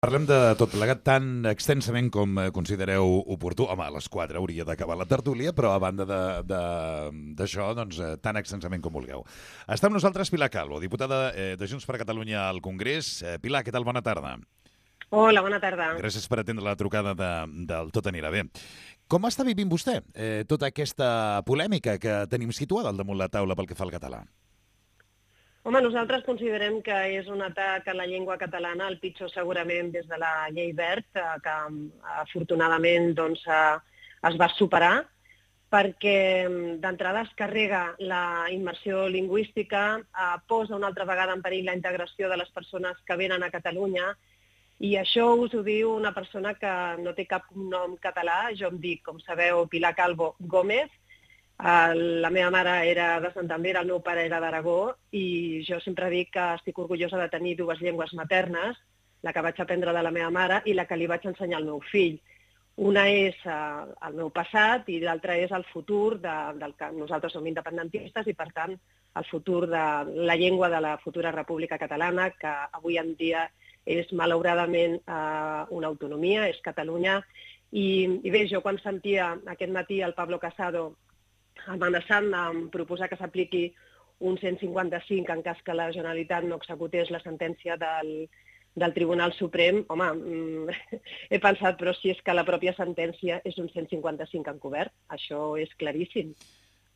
Parlem de tot plegat tan extensament com considereu oportú. Home, a les 4 hauria d'acabar la tertúlia, però a banda d'això, doncs, tan extensament com vulgueu. Està amb nosaltres Pilar Calvo, diputada de Junts per Catalunya al Congrés. Pilar, què tal? Bona tarda. Hola, bona tarda. Gràcies per atendre la trucada del Tot anirà bé. Com està vivint vostè tota aquesta polèmica que tenim situada al damunt la taula pel que fa al català? Home, nosaltres considerem que és un atac a la llengua catalana, el pitjor segurament des de la llei Wert, que afortunadament doncs, es va superar, perquè d'entrada es carrega la immersió lingüística, posa una altra vegada en perill la integració de les persones que venen a Catalunya, i això us ho diu una persona que no té cap nom català. Jo em dic, com sabeu, Pilar Calvo Gómez. La meva mare era de Santander, el meu pare era d'Aragó, i jo sempre dic que estic orgullosa de tenir dues llengües maternes, la que vaig aprendre de la meva mare i la que li vaig ensenyar al meu fill. Una és el meu passat i l'altra és el futur del que nosaltres som independentistes i, per tant, el futur de la llengua de la futura República Catalana, que avui en dia és malauradament una autonomia, és Catalunya. I bé, jo quan sentia aquest matí el Pablo Casado amenaçant amb proposar que s'apliqui un 155 en cas que la Generalitat no executés la sentència del Tribunal Suprem, home, he pensat, però si és que la pròpia sentència és un 155 encobert, això és claríssim.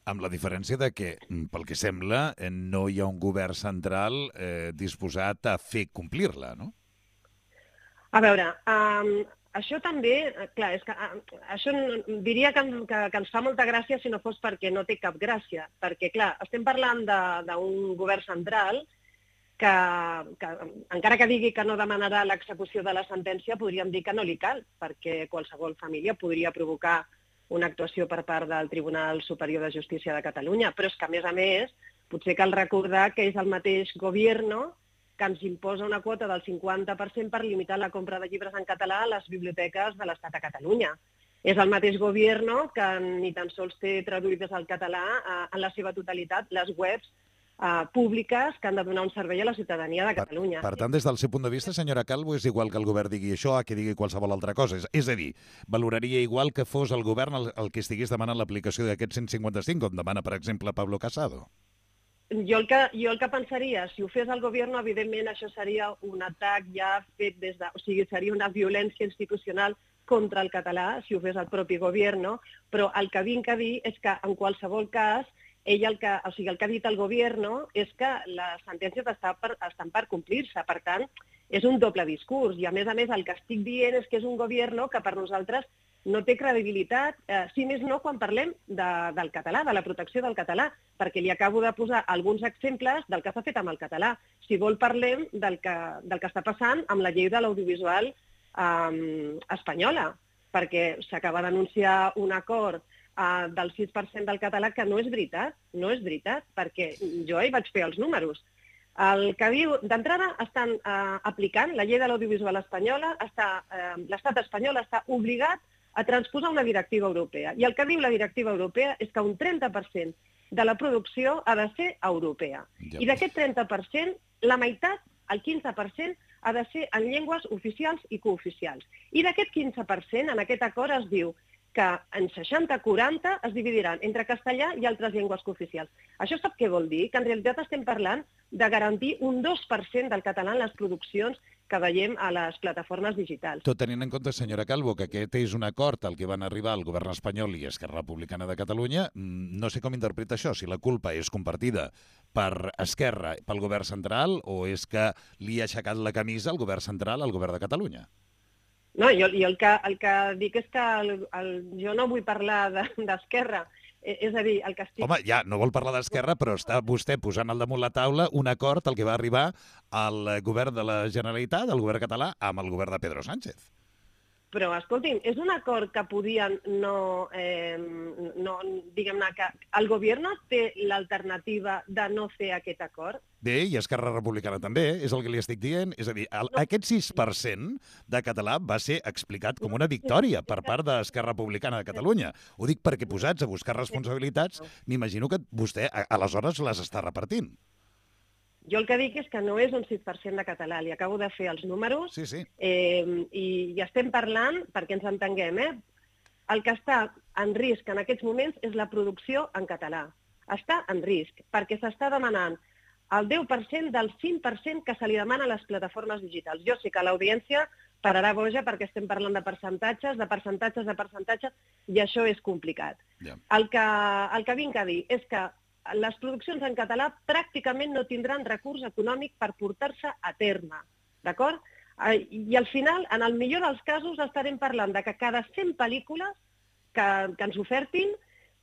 Amb la diferència de que, pel que sembla, no hi ha un govern central disposat a fer complir-la, no? A veure, això també, clar, és que això diria que ens fa molta gràcia si no fos perquè no té cap gràcia, perquè, clar, estem parlant d'un govern central que encara que digui que no demanarà l'execució de la sentència, podríem dir que no li cal, perquè qualsevol família podria provocar una actuació per part del Tribunal Superior de Justícia de Catalunya, però és que, a més, potser cal recordar que és el mateix govern que ens imposa una quota del 50% per limitar la compra de llibres en català a les biblioteques de l'Estat a Catalunya. És el mateix govern que ni tan sols té traduïdes al català en la seva totalitat les webs públiques que han de donar un servei a la ciutadania de Catalunya. Per tant, des del seu punt de vista, senyora Calvo, és igual que el govern digui això a que digui qualsevol altra cosa. És a dir, valoraria igual que fos el govern el que estigués demanant l'aplicació d'aquest 155, com demana, per exemple, Pablo Casado? Jo el que pensaria, si ho fes el govern, evidentment això seria un atac ja fet o sigui, seria una violència institucional contra el català, si ho fes el propi govern, però el que vinc a dir és que en qualsevol cas, el que ha dit el govern és que les sentències estan per complir-se, per tant, és un doble discurs, i a més el que estic dient és que és un govern que per nosaltres no té credibilitat, si més no quan parlem del català, de la protecció del català, perquè li acabo de posar alguns exemples del que s'ha fet amb el català. Si vol parlem del que està passant amb la llei de l'audiovisual espanyola, perquè s'acaba d'anunciar un acord del 6% del català que no és veritat, perquè jo hi vaig fer els números. El que diu, d'entrada estan aplicant la llei de l'audiovisual espanyola, l'estat espanyol està obligat a transposar una directiva europea. I el que diu la directiva europea és que un 30% de la producció ha de ser europea. I d'aquest 30%, la meitat, el 15%, ha de ser en llengües oficials i cooficials. I d'aquest 15%, en aquest acord es diu que en 60-40 es dividiran entre castellà i altres llengües cooficials. Això sap què vol dir? Que en realitat estem parlant de garantir un 2% del català en les produccions que veiem a les plataformes digitals. Tot tenint en compte, senyora Calvo, que aquest és un acord al que van arribar el govern espanyol i Esquerra Republicana de Catalunya, no sé com interpreta això, si la culpa és compartida per Esquerra, pel govern central, o és que li ha aixecat la camisa el govern central al govern de Catalunya? No, jo el que dic és que jo no vull parlar d'Esquerra. És a dir, el que estic... Home, ja, no vol parlar d'Esquerra, però està vostè posant al damunt la taula un acord al que va arribar el govern de la Generalitat, el govern català, amb el govern de Pedro Sánchez. Però, escolti'm, és un acord que podien diguem-ne que el govern té l'alternativa de no fer aquest acord? Bé, i Esquerra Republicana també, és el que li estic dient. És a dir, aquest 6% de català va ser explicat com una victòria per part d'Esquerra Republicana de Catalunya. Ho dic perquè posats a buscar responsabilitats, m'imagino que vostè aleshores les està repartint. Jo el que dic és que no és un 6% de català. Li acabo de fer els números Sí. i estem parlant, perquè ens entenguem, el que està en risc en aquests moments és la producció en català. Està en risc, perquè s'està demanant el 10% del 5% que se li demana a les plataformes digitals. Jo sé que l'audiència pararà boja perquè estem parlant de percentatges, i això és complicat. Ja. El que vinc a dir és que les produccions en català pràcticament no tindran recurs econòmic per portar-se a terme, d'acord? I al final, en el millor dels casos, estarem parlant de que cada 100 pel·lícules que ens ofertin,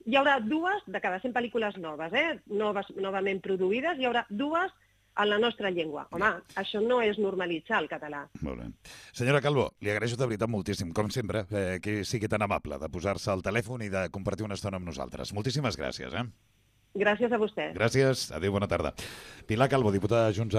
hi haurà 2 de cada 100 pel·lícules noves, novament produïdes, hi haurà 2 en la nostra llengua. Home, això no és normalitzar el català. Molt bé. Senyora Calvo, li agraeixo de veritat moltíssim, com sempre, que sigui tan amable de posar-se al telèfon i de compartir una estona amb nosaltres. Moltíssimes gràcies. Gràcies a vostè. Gràcies. Adéu, bona tarda. Pilar Calvo, diputada de Junts